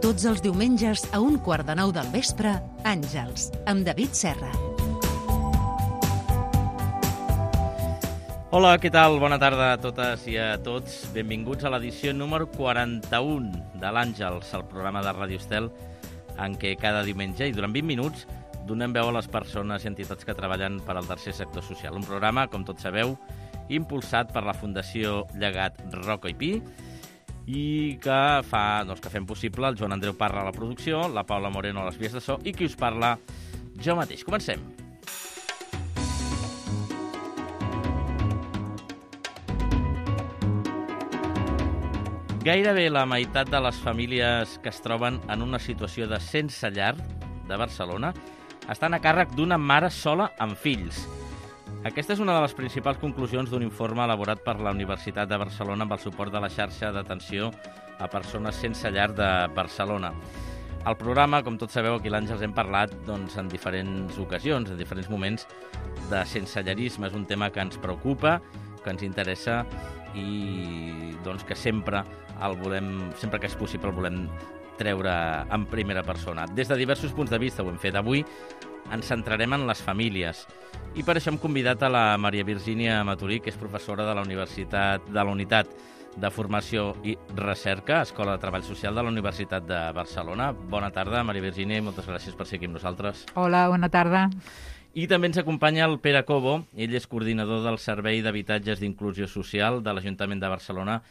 Tots els diumenges a 8:45 del vespre, Àngels, amb David Serra. Hola, què tal? Bona tarda a totes i a tots. Benvinguts a l'edició número 41 de l'Àngels, el programa de Ràdio Estel, en què cada diumenge i durant 20 minuts donem veu a les persones i entitats que treballen per al tercer sector social. Un programa, com tots sabeu, impulsat per la Fundació Llegat Roca i Pi i que fem possible el Joan Andreu Parra a la producció, la Paula Moreno a les vies de so i qui us parla, jo mateix. Comencem. Gairebé la meitat de les famílies que es troben en una situació de sense llar de Barcelona estan a càrrec d'una mare sola amb fills. Aquesta és una de les principals conclusions d'un informe elaborat per la Universitat de Barcelona amb el suport de la xarxa d'atenció a persones sense llar de Barcelona. El programa, com tots sabeu, aquí a l'Àngels hem parlat en diferents ocasions, en diferents moments, de sensellarisme. És un tema que ens preocupa, que ens interessa i que sempre que és possible el volem treure en primera persona. Des de diversos punts de vista ho hem fet. Avui ens centrarem en les famílies i per això hem convidat a la Maria Virgínia Maturí, que és professora de la Universitat de la Unitat de Formació i Recerca, Escola de Treball Social de la Universitat de Barcelona. Bona tarda, Maria Virgínia, i moltes gràcies per ser aquí amb nosaltres. Hola, bona tarda. I també ens acompanya el Pere Cobo, ell és coordinador del Servei d'Habitatges d'Inclusió Social de l'Ajuntament de Barcelona,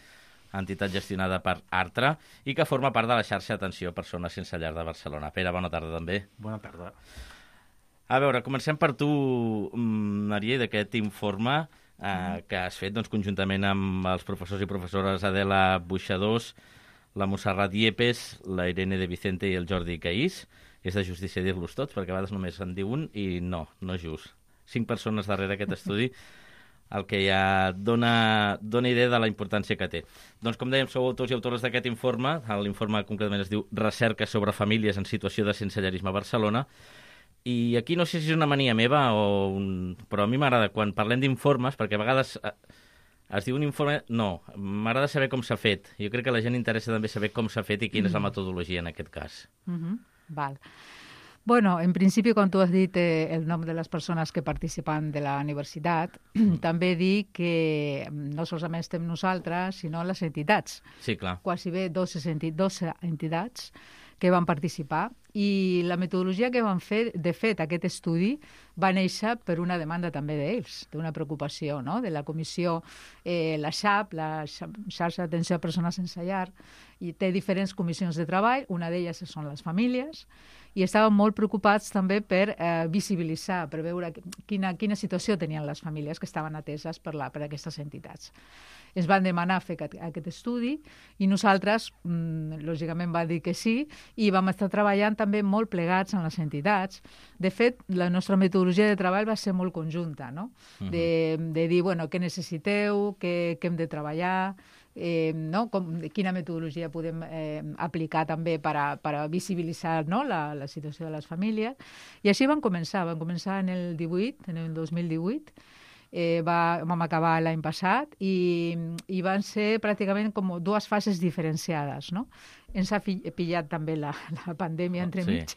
entitat gestionada per Artra, i que forma part de la xarxa d'atenció a persones sense llar de Barcelona. Pere, bona tarda també. Bona tarda. A veure, comencem per tu, Maria, d'aquest informe que has fet conjuntament amb els professors i professores Adela Buixadors, la Montserrat Yepes, la Irene de Vicente i el Jordi Caís. És de justícia dir-los tots, perquè a vegades només en diu un i no és just. 5 persones darrere aquest estudi, el que ja dona idea de la importància que té. Doncs, com dèiem, sou autors i autores d'aquest informe. L'informe concretament es diu Recerca sobre famílies en situació de sensellarisme a Barcelona. I aquí no sé si és una mania meva però a mi m'agrada quan parlem d'informes, perquè a vegades es diu un informe... No, m'agrada saber com s'ha fet. Jo crec que a la gent interessa també saber com s'ha fet i quina és la metodologia en aquest cas. Val. Bueno, en principi, quan tu has dit el nom de les persones que participen de la universitat, també dic que no solament estem nosaltres, sinó les entitats. Sí, clar. Quasi bé 12 entitats que van participar, i la metodologia que van fer, de fet, aquest estudi va néixer per una demanda també d'ells, d'una preocupació, no?, de la comissió, la XAP, la xarxa d'atenció a persones sense llar, i té diferents comissions de treball, una d'elles són les famílies, i estaven molt preocupats també per visibilitzar, per veure quina situació tenien les famílies que estaven ateses per aquestes entitats. Ens van demanar fer aquest estudi i nosaltres, lògicament, va dir que sí, i vam estar treballant també molt plegats en les entitats. De fet, la nostra metodologia de treball va ser molt conjunta, no? De dir, bueno, què necessiteu, què hem de treballar, quina metodologia podem aplicar també per a visibilitzar la situació de les famílies. I així vam començar en el 2018, vam acabar l'any passat i van ser pràcticament com dues fases diferenciades, no? Ens ha pillat també la pandèmia entremig,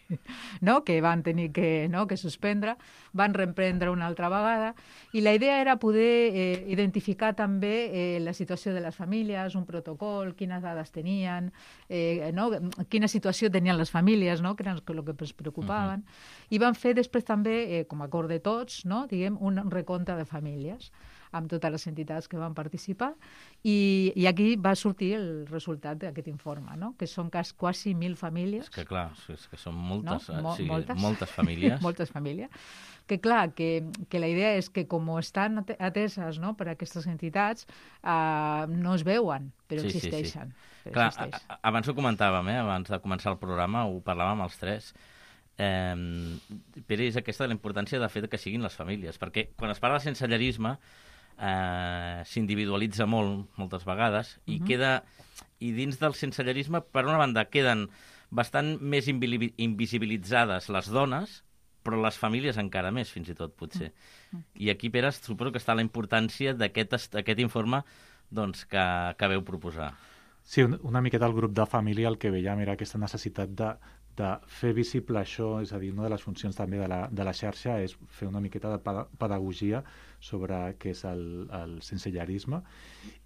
no? Que van tenir que suspendre, van reprendre una altra vegada, i la idea era poder identificar també la situació de les famílies, un protocol, quines dades tenien, quina situació tenien les famílies, no? Que era el que ens preocupaven, i van fer després també, com a acord de tots, no? Diguem, un recompte de famílies amb totes les entitats que van participar, i aquí va sortir el resultat d'aquest informe, no? Que són quasi 1.000 famílies. És que clar, és que són moltes, no? Moltes famílies. Moltes famílies. Que clar, que la idea és que com estan ateses, no, per aquestes entitats, no es veuen, però existeixen. Sí. Clar, abans ho comentàvem, abans de començar el programa, ho parlàvem els tres. Però és aquesta la importància de fer que siguin les famílies, perquè quan es parla de sensellarisme s'individualitza moltes vegades i dins del sensellarisme, per una banda, queden bastant més invisibilitzades les dones, però les famílies encara més, fins i tot, potser. I aquí, Pere, suposo que està la importància d'aquest informe que veu proposar. Sí, una miqueta el grup de família el que veiem era aquesta necessitat de fer visible això, és a dir, una de les funcions també de la xarxa és fer una miqueta de pedagogia sobre què és el sensellarisme,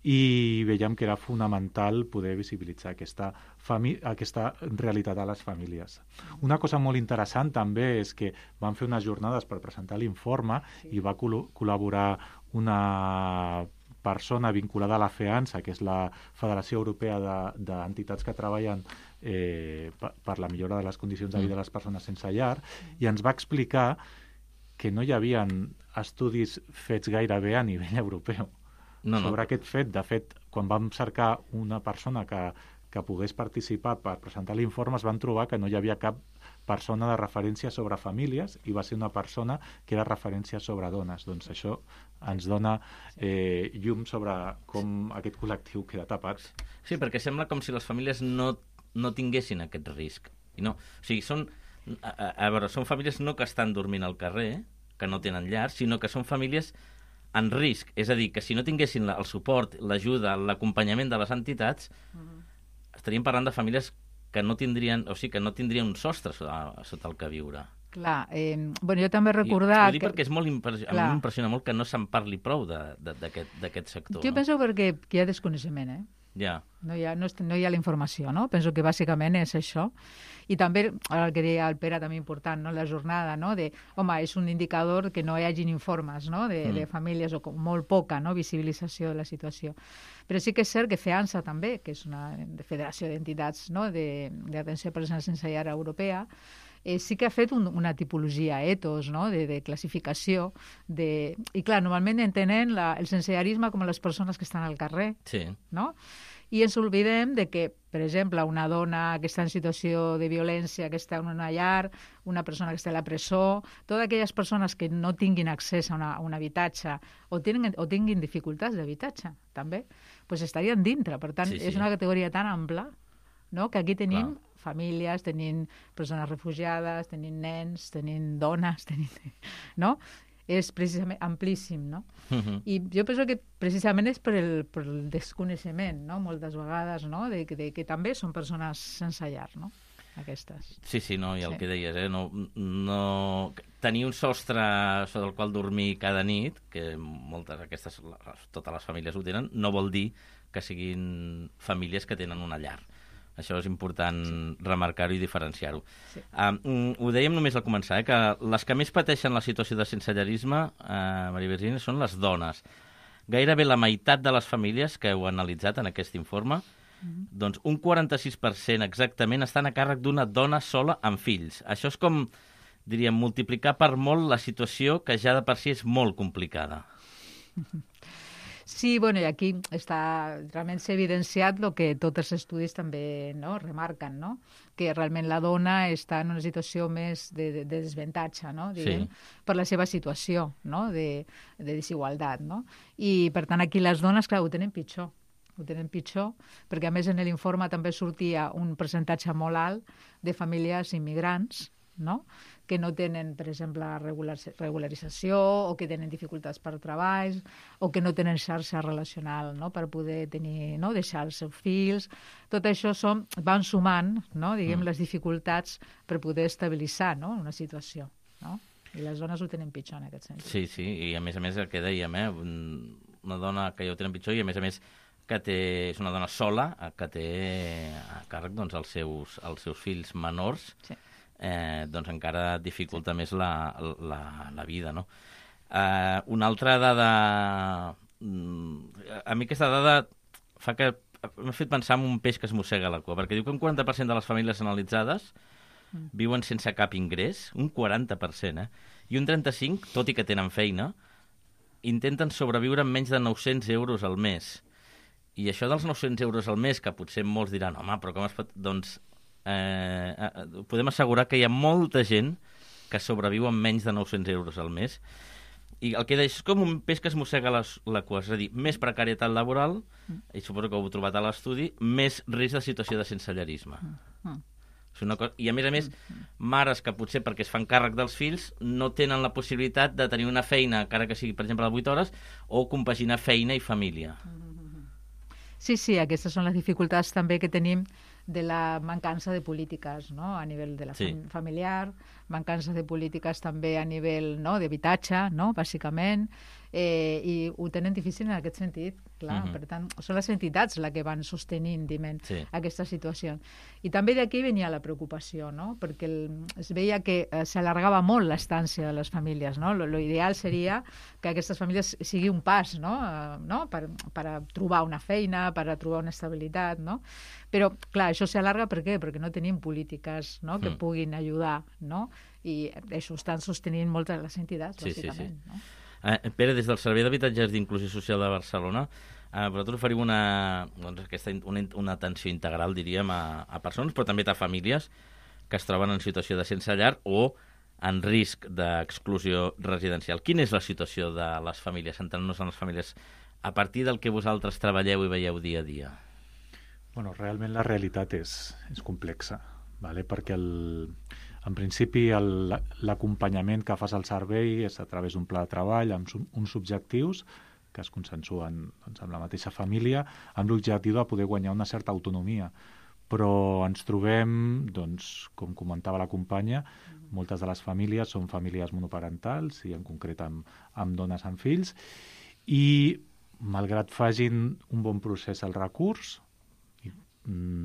i veiem que era fonamental poder visibilitzar aquesta realitat a les famílies. Una cosa molt interessant també és que van fer unes jornades per presentar l'informe i va col·laborar una persona vinculada a la FEANSA, que és la Federació Europea d'Entitats que treballen per la millora de les condicions de vida de les persones sense llar, i ens va explicar que no hi havia estudis fets gairebé a nivell europeu sobre aquest fet. De fet, quan vam cercar una persona que pogués participar per presentar l'informe, es van trobar que no hi havia cap persona de referència sobre famílies, i va ser una persona que era referència sobre dones. Doncs això ens dona llum sobre com aquest col·lectiu queda tapat. Sí, perquè sembla com si les famílies no tinguessin aquest risc. I no. O sigui, són famílies no que estan dormint al carrer, que no tenen llar, sinó que són famílies en risc. És a dir, que si no tinguessin el suport, l'ajuda, l'acompanyament de les entitats, estaríem parlant de famílies que no tindrien, o sigui, que no tindrien un sostre sota el que viure. Clar, jo també recordar... Ho dic perquè a mi m'impressiona molt que no se'n parli prou d'aquest sector. Jo penso perquè hi ha desconeixement, Ja. No hi ha la informació, no? Penso que bàsicament és això. I també, el que deia el Pere, també important, no? La jornada, no? És un indicador que no hi hagin informes, no? De famílies, o molt poca, no? Visibilització de la situació. Però sí que és cert que FEANSA també, que és una federació d'entitats, no? D'atenció a persones sense llar europea, sí que ha fet una tipologia, ethos, no? de classificació. I clar, normalment entenen el sensellarisme com les persones que estan al carrer. Sí. No? I ens oblidem de que, per exemple, una dona que està en situació de violència, que està en una llar, una persona que està a la presó, totes aquelles persones que no tinguin accés a un habitatge o tinguin dificultats d'habitatge, també, doncs estarien dintre. Per tant, és una categoria tan ampla, no? Que aquí tenim famílies, tenim persones refugiades, tenim nens, tenim dones, no? És precisament amplíssim, no? I jo penso que precisament és per el desconeixement, no? Moltes vegades, no? De que també són persones sense llar, no? Aquestes. Sí, no, i el que deies, no... Tenir un sostre sobre el qual dormir cada nit, que totes les famílies ho tenen, no vol dir que siguin famílies que tenen una llar. Això és important remarcar-ho i diferenciar-ho. Sí. Ho dèiem només al començar, que les que més pateixen la situació de sensellarisme, Maria Virginia, són les dones. Gairebé la meitat de les famílies que heu analitzat en aquest informe, doncs un 46% exactament estan a càrrec d'una dona sola amb fills. Això és com, diríem, multiplicar per molt la situació que ja de per si és molt complicada. Sí, i aquí realment s'ha evidenciat el que tots els estudis també remarquen, no? Que realment la dona està en una situació més de desavantatge, no? Diguem, per la seva situació, no? de desigualtat. No? I, per tant, aquí les dones, clar, ho tenen pitjor, perquè a més en l'informe també sortia un percentatge molt alt de famílies immigrants, no? Que no tenen, per exemple, regularització, o que tenen dificultats per treballs, o que no tenen xarxa relacional, no? Per poder deixar els seus fills. Tot això van sumant, no? Diguem, les dificultats per poder estabilitzar, no? Una situació. No? I les dones ho tenen pitjor en aquest sentit. Sí, i a més el que dèiem, una dona que ja ho tenen pitjor, i a més que és una dona sola, que té a càrrec els seus fills menors, doncs encara dificulta més la vida, no? Una altra dada... A mi aquesta dada m'ha fet pensar en un peix que es mossega la cua, perquè diu que un 40% de les famílies analitzades viuen sense cap ingrés, un 40%, i un 35%, tot i que tenen feina, intenten sobreviure amb menys de 900 euros al mes. I això dels 900 euros al mes, que potser molts diran, home, però com es pot... Doncs podem assegurar que hi ha molta gent que sobreviu amb menys de 900 euros al mes, i el que deia és com un peix que es mossega la cua, és a dir, més precarietat laboral, i suposo que ho heu trobat a l'estudi, més risc de situació de sensellarisme. I a més, mares que potser perquè es fan càrrec dels fills no tenen la possibilitat de tenir una feina, encara que sigui, per exemple, de 8 hores, o compaginar feina i família. Sí, aquestes són les dificultats també que tenim de la mancança de polítiques, no?, a nivell de la familiar, mancança de polítiques també a nivell, no?, d'habitatge, no?, bàsicament, i ho tenen difícil en aquest sentit, clar. Per tant, són les entitats les que van sostenint, aquesta situació. I també d'aquí venia la preocupació, no?, perquè es veia que s'allargava molt l'estància de les famílies, no? Lo ideal seria que aquestes famílies sigui un pas, no? Per a trobar una feina, per a trobar una estabilitat, no? Però, clar, això s'allarga per què? Perquè no tenim polítiques, no?, que puguin ajudar, no? I això estan sostenint moltes de les entitats, bàsicament. No? Pere, des del Servei d'Habitatges d'Inclusió Social de Barcelona, vosaltres oferiu una atenció integral, diríem, a persones, però també a famílies que es troben en situació de sense llar o en risc d'exclusió residencial. Quina és la situació de les famílies, centrant-nos en les famílies, a partir del que vosaltres treballeu i veieu dia a dia? Bueno, realment la realitat és complexa, ¿vale? Perquè en principi l'acompanyament que fas al servei és a través d'un pla de treball amb uns objectius que es consensuen amb la mateixa família, amb l'objectiu de poder guanyar una certa autonomia. Però ens trobem, doncs, com comentava la companya, moltes de les famílies són famílies monoparentals i en concret amb dones amb fills, i malgrat facin un bon procés al recurs i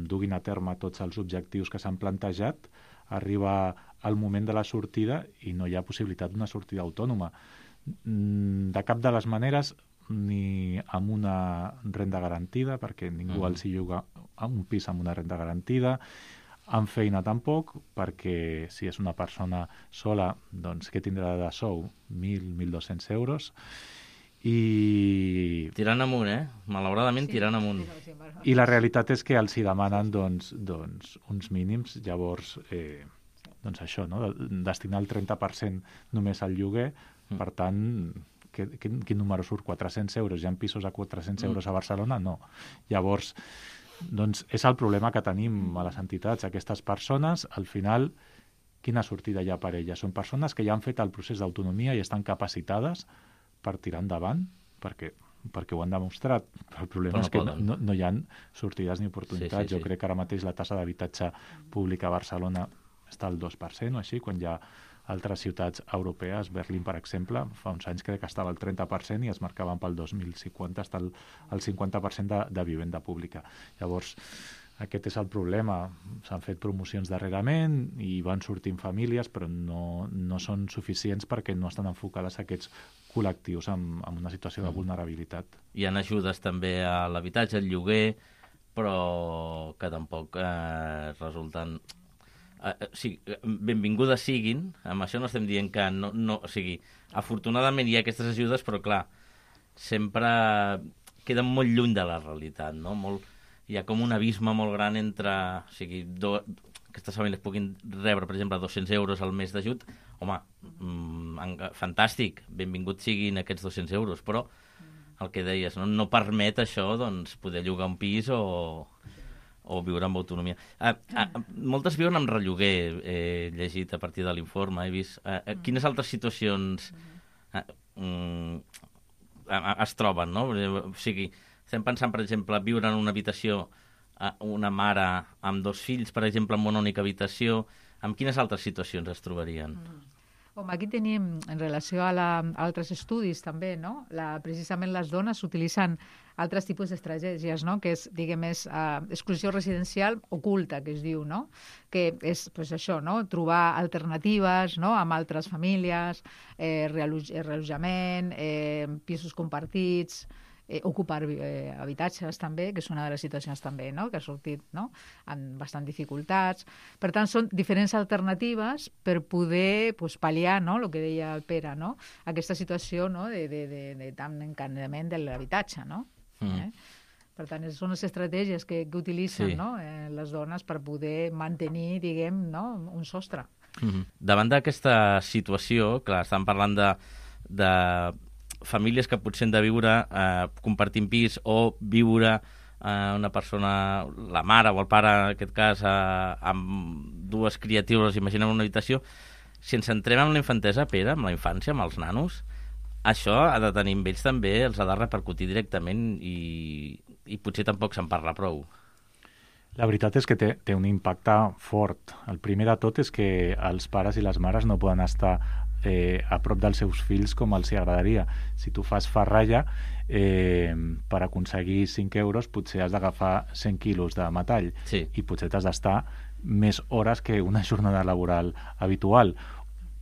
duguin a terme tots els objectius que s'han plantejat, arriba el moment de la sortida i no hi ha possibilitat d'una sortida autònoma. De cap de les maneres, ni amb una renda garantida, perquè ningú els hi lloga un pis amb una renda garantida, amb feina tampoc, perquè si és una persona sola, doncs què tindrà de sou? 1.000-1.200 euros. I... Tirant amunt, malauradament tirant amunt. I la realitat és que els hi demanen doncs, uns mínims, llavors doncs això, no? Destinar el 30% només al lloguer, per tant, quin número surt? 400 euros? Hi ha pisos a 400 euros a Barcelona? No. Llavors, doncs és el problema que tenim a les entitats. Aquestes persones, al final, quina sortida hi ha per elles? Són persones que ja han fet el procés d'autonomia i estan capacitades per tirar endavant, perquè ho han demostrat. El problema és que no hi ha sortides ni oportunitats. Jo crec que ara mateix la taxa d'habitatge públic a Barcelona està al 2% o així, quan hi ha altres ciutats europees, Berlín, per exemple, fa uns anys crec que estava al 30% i es marcaven pel 2050 està al 50% de vivenda pública. Llavors, aquest és el problema. S'han fet promocions darrerament i van sortint famílies, però no són suficients perquè no estan enfocades a aquests col·lectius amb una situació de vulnerabilitat. Hi ha ajudes també a l'habitatge, al lloguer, però que tampoc resulten... benvingudes siguin, amb això no estem dient que no, o sigui, afortunadament hi ha aquestes ajudes, però clar, sempre queden molt lluny de la realitat, no? Hi ha com un abisme molt gran entre, o sigui, aquestes famílies puguin rebre, per exemple, 200 euros al mes d'ajut. Home, fantàstic, benvinguts siguin aquests 200 euros, però el que deies, no permet això, doncs, poder llogar un pis o viure amb autonomia. Moltes viuen amb relloguer, he llegit a partir de l'informe, he vist. Quines altres situacions es troben, no? O sigui, estem pensant, per exemple, viure en una habitació una mare amb 2 fills, per exemple, en una única habitació. Amb quines altres situacions es trobarien? Home, aquí tenim, en relació a altres estudis també, no? Precisament les dones utilitzen altres tipus d'estratègies, no? Que és, diguem, exclusió residencial oculta, que es diu, no? Que és, pues, això, no? Trobar alternatives, no? Amb altres famílies, reallotjament, pisos compartits, ocupar habitatges també, que és una de les situacions també, no? Que ha sortit, no? Amb bastant dificultats. Per tant, són diferents alternatives per poder, pues, pal·liar, no? El que deia el Pere, no? Aquesta situació, no? de tant encadenament de l'habitatge, no? Per tant, són les estratègies que utilitzen, no? Les dones per poder mantenir, diguem, no? Un sostre. Davant d'aquesta situació, clar, estan parlant de famílies que potser han de viure compartint pis o viure una persona, la mare o el pare, en aquest cas, amb 2 criatures, imaginem una habitació. Si ens centrem en la infantesa, Pere, amb la infància, amb els nanos, això ha de tenir amb ells també, els ha de repercutir directament i i potser tampoc se'n parla prou. La veritat és que té un impacte fort. El primer de tot és que els pares i les mares no poden estar a prop dels seus fills com els hi agradaria. Si tu fas ferralla, per aconseguir 5 euros potser has d'agafar 100 quilos de metall, Sí. i potser t'has d'estar més hores que una jornada laboral habitual.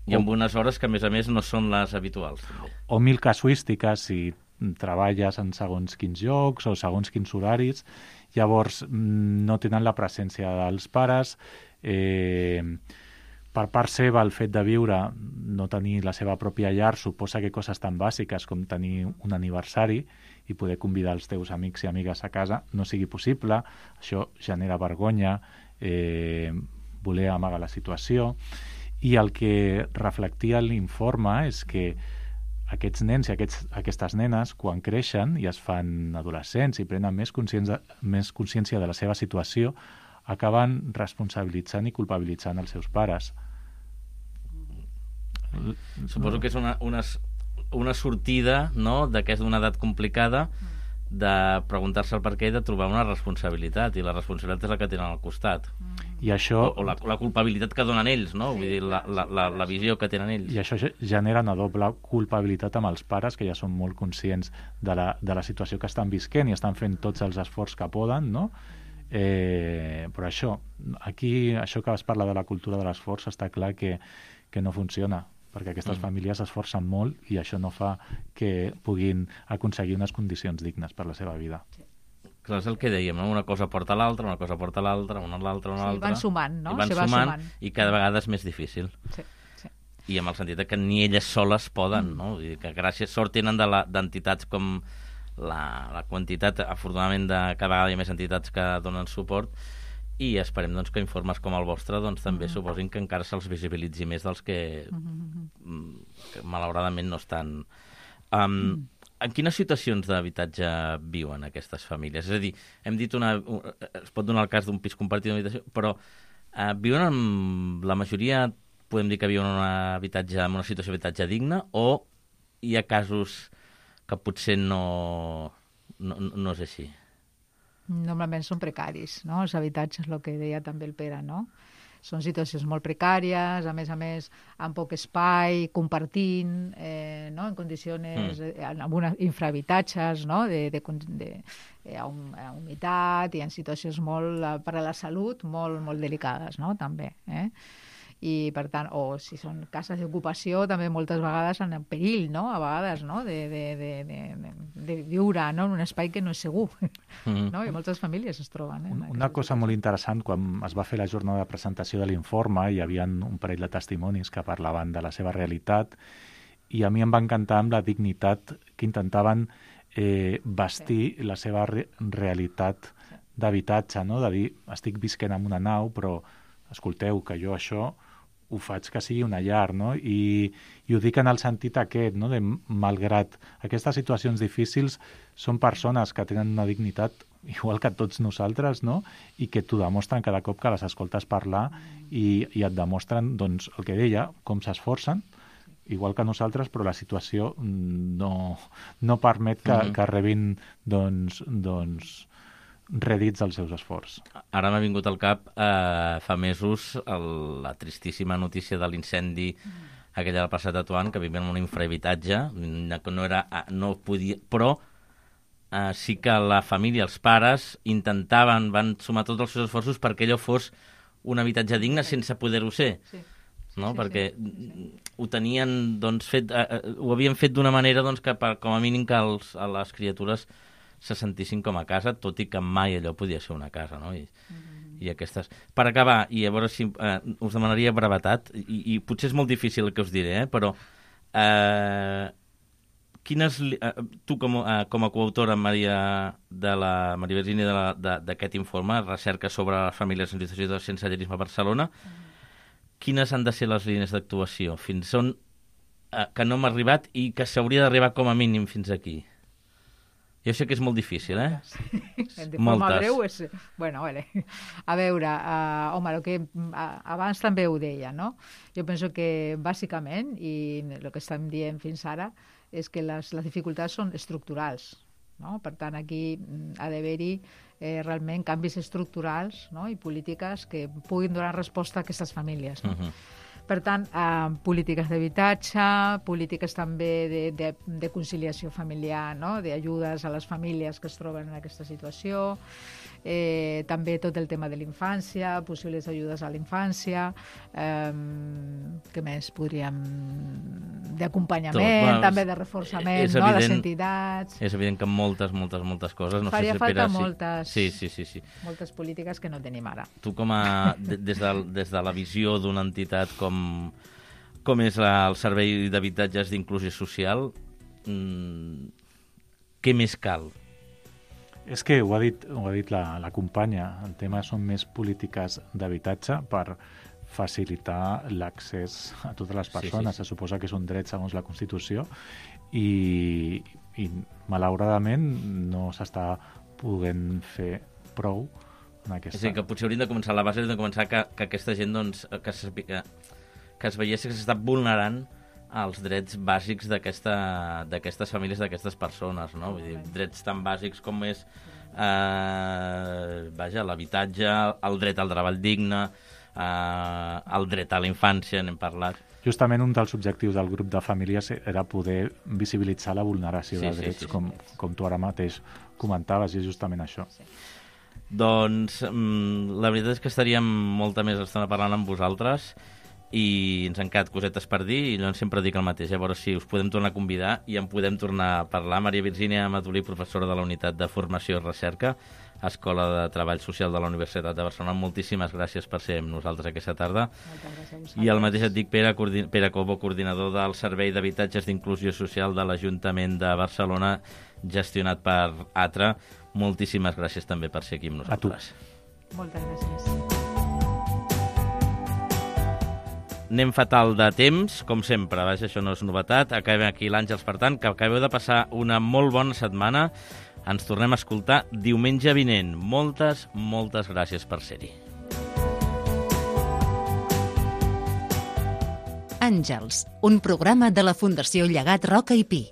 I amb unes hores que, a més, no són les habituals. També. O mil casuístiques si treballes en segons quins llocs o segons quins horaris. Llavors no tenen la presència dels pares. Per part seva, el fet de viure, no tenir la seva pròpia llar, suposa que coses tan bàsiques com tenir un aniversari i poder convidar els teus amics i amigues a casa no sigui possible. Això genera vergonya, voler amagar la situació. I el que reflectia l'informe és que aquests nens i aquestes nenes, quan creixen i es fan adolescents i prenen més consciència de la seva situació, acaben responsabilitzant i culpabilitzant els seus pares. Suposo que és una sortida, no?, d'aquesta d'una edat complicada, de preguntar-se el per què i de trobar una responsabilitat, i la responsabilitat és la que tenen al costat. I això... O la culpabilitat que donen ells, no? Vull dir, la visió que tenen ells. I això genera una doble culpabilitat amb els pares, que ja són molt conscients de la situació que estan visquent i estan fent tots els esforços que poden, no? Però això que es parla de la cultura de l'esforç, està clar que no funciona, perquè aquestes famílies s'esforcen molt i això no fa que puguin aconseguir unes condicions dignes per la seva vida. Clar, és el que dèiem, no? Una cosa porta a l'altra, una cosa porta a l'altra, una a l'altra, una a l'altra. Van sumant, no? I van sumant, i cada vegada és més difícil. Sí. I amb el sentit que ni elles soles poden, no? Vull dir que gràcies, sort tenen d'entitats com la quantitat, afortunadament, cada vegada hi ha més entitats que donen suport, i esperem doncs, que informes com el vostre doncs, també suposin que encara se'ls visibilitzi més dels que malauradament no estan. En quines situacions d'habitatge viuen aquestes famílies? És a dir, hem dit es pot donar el cas d'un pis compartit d'habitació, però viuen en la majoria, podem dir que viuen en una situació d'habitatge digne, o hi ha casos que potser no és així? Normalment són precaris, no? Els habitatges, el que deia també el Pere, no? Són situacions molt precàries, a més, amb poc espai, compartint, no? En condicions, amb infrahabitatges, no? A humitat, i en situacions molt, per a la salut, molt, molt delicades, no? També, i per tant, o si són cases d'ocupació, també moltes vegades en perill, no? A vegades, no? De viure, no? En un espai que no és segur, no? I moltes famílies es troben. Una cosa molt interessant, quan es va fer la jornada de presentació de l'informe, hi havia un parell de testimonis que parlaven de la seva realitat, i a mi em va encantar amb la dignitat que intentaven vestir la seva realitat d'habitatge, no? De dir, estic visquent en una nau, però escolteu, que jo això ho faig que sigui una llar, no? I ho dic en el sentit aquest, no? De malgrat aquestes situacions difícils, són persones que tenen una dignitat igual que tots nosaltres, no? I que t'ho demostren cada cop que les escoltes parlar i et demostren, doncs, el que deia, com s'esforcen, igual que nosaltres, però la situació no permet que rebin, doncs rèdits dels seus esforços. Ara m'ha vingut al cap fa mesos la tristíssima notícia de l'incendi aquella del passat a Tuan, que vivien en un infrahabitatge, que no podia, però sí que la família, els pares, van sumar tots els seus esforços perquè allò fos un habitatge digne sense poder-ho ser. No? Perquè ho tenien fet, ho havien fet d'una manera que com a mínim que les criatures se sentissin com a casa, tot i que mai allò podia ser una casa, no? I aquestes... Per acabar, i a veure si us demanaria brevetat, i potser és molt difícil el que us diré, però tu com a coautora, Maria Virginia, d'aquest informe, recerca sobre les famílies en situació de sensellarisme a Barcelona, quines han de ser les línies d'actuació? Fins on que no hem arribat i que s'hauria d'arribar com a mínim fins aquí? Jo sé que és molt difícil, De forma breu és... Bueno, vale. A veure, home, el que abans també ho deia, no? Jo penso que, bàsicament, i el que estem dient fins ara, és que les dificultats són estructurals, no? Per tant, aquí ha d'haver-hi realment canvis estructurals, no? I polítiques que puguin donar resposta a aquestes famílies. No? Per tant, polítiques d'habitatge, polítiques també de conciliació familiar, no? D'ajudes a les famílies que es troben en aquesta situació, també tot el tema de l'infància, possibles ajudes a la infància, què més podríem... d'acompanyament, també de reforçament, no? A les entitats... És evident que moltes coses... Faria falta moltes... Sí. Moltes polítiques que no tenim ara. Tu, des de la visió d'una entitat com és el Servei d'Habitatges d'Inclusió Social, què més cal? És que ho ha dit la companya, el tema són més polítiques d'habitatge per facilitar l'accés a totes les persones. Se suposa que és un dret segons la Constitució i malauradament no s'està podent fer prou en aquesta... És a dir, que potser hauríem de començar, la base de començar que aquesta gent, doncs, que es veiés que s'està vulnerant els drets bàsics d'aquestes famílies, d'aquestes persones, no? Vull dir, drets tan bàsics com és l'habitatge, el dret al treball digne, el dret a la infància, n'hem parlat. Justament un dels objectius del grup de famílies era poder visibilitzar la vulneració de drets, com tu ara mateix comentaves, i és justament això. Doncs la veritat és que estaríem molta més estona parlant amb vosaltres i ens han quedat cosetes per dir i jo sempre dic el mateix, a veure si us podem tornar a convidar i en podem tornar a parlar. Maria Virgínia Amatolí, professora de la Unitat de Formació i Recerca, Escola de Treball Social de la Universitat de Barcelona, moltíssimes gràcies per ser amb nosaltres aquesta tarda. Moltes gràcies a vosaltres. I el mateix et dic Pere Cobo, coordinador del Servei d'Habitatges d'Inclusió Social de l'Ajuntament de Barcelona, gestionat per ATRA. Moltíssimes gràcies també per ser aquí amb nosaltres. A tu. Moltes gràcies. Anem fatal de temps, com sempre, vaja, això no és novetat. Acabem aquí l'Àngels, per tant, que acabeu de passar una molt bona setmana. Ens tornem a escoltar diumenge vinent. Moltes gràcies per ser-hi. Àngels, un programa de la Fundació Llegat Roca i Pi.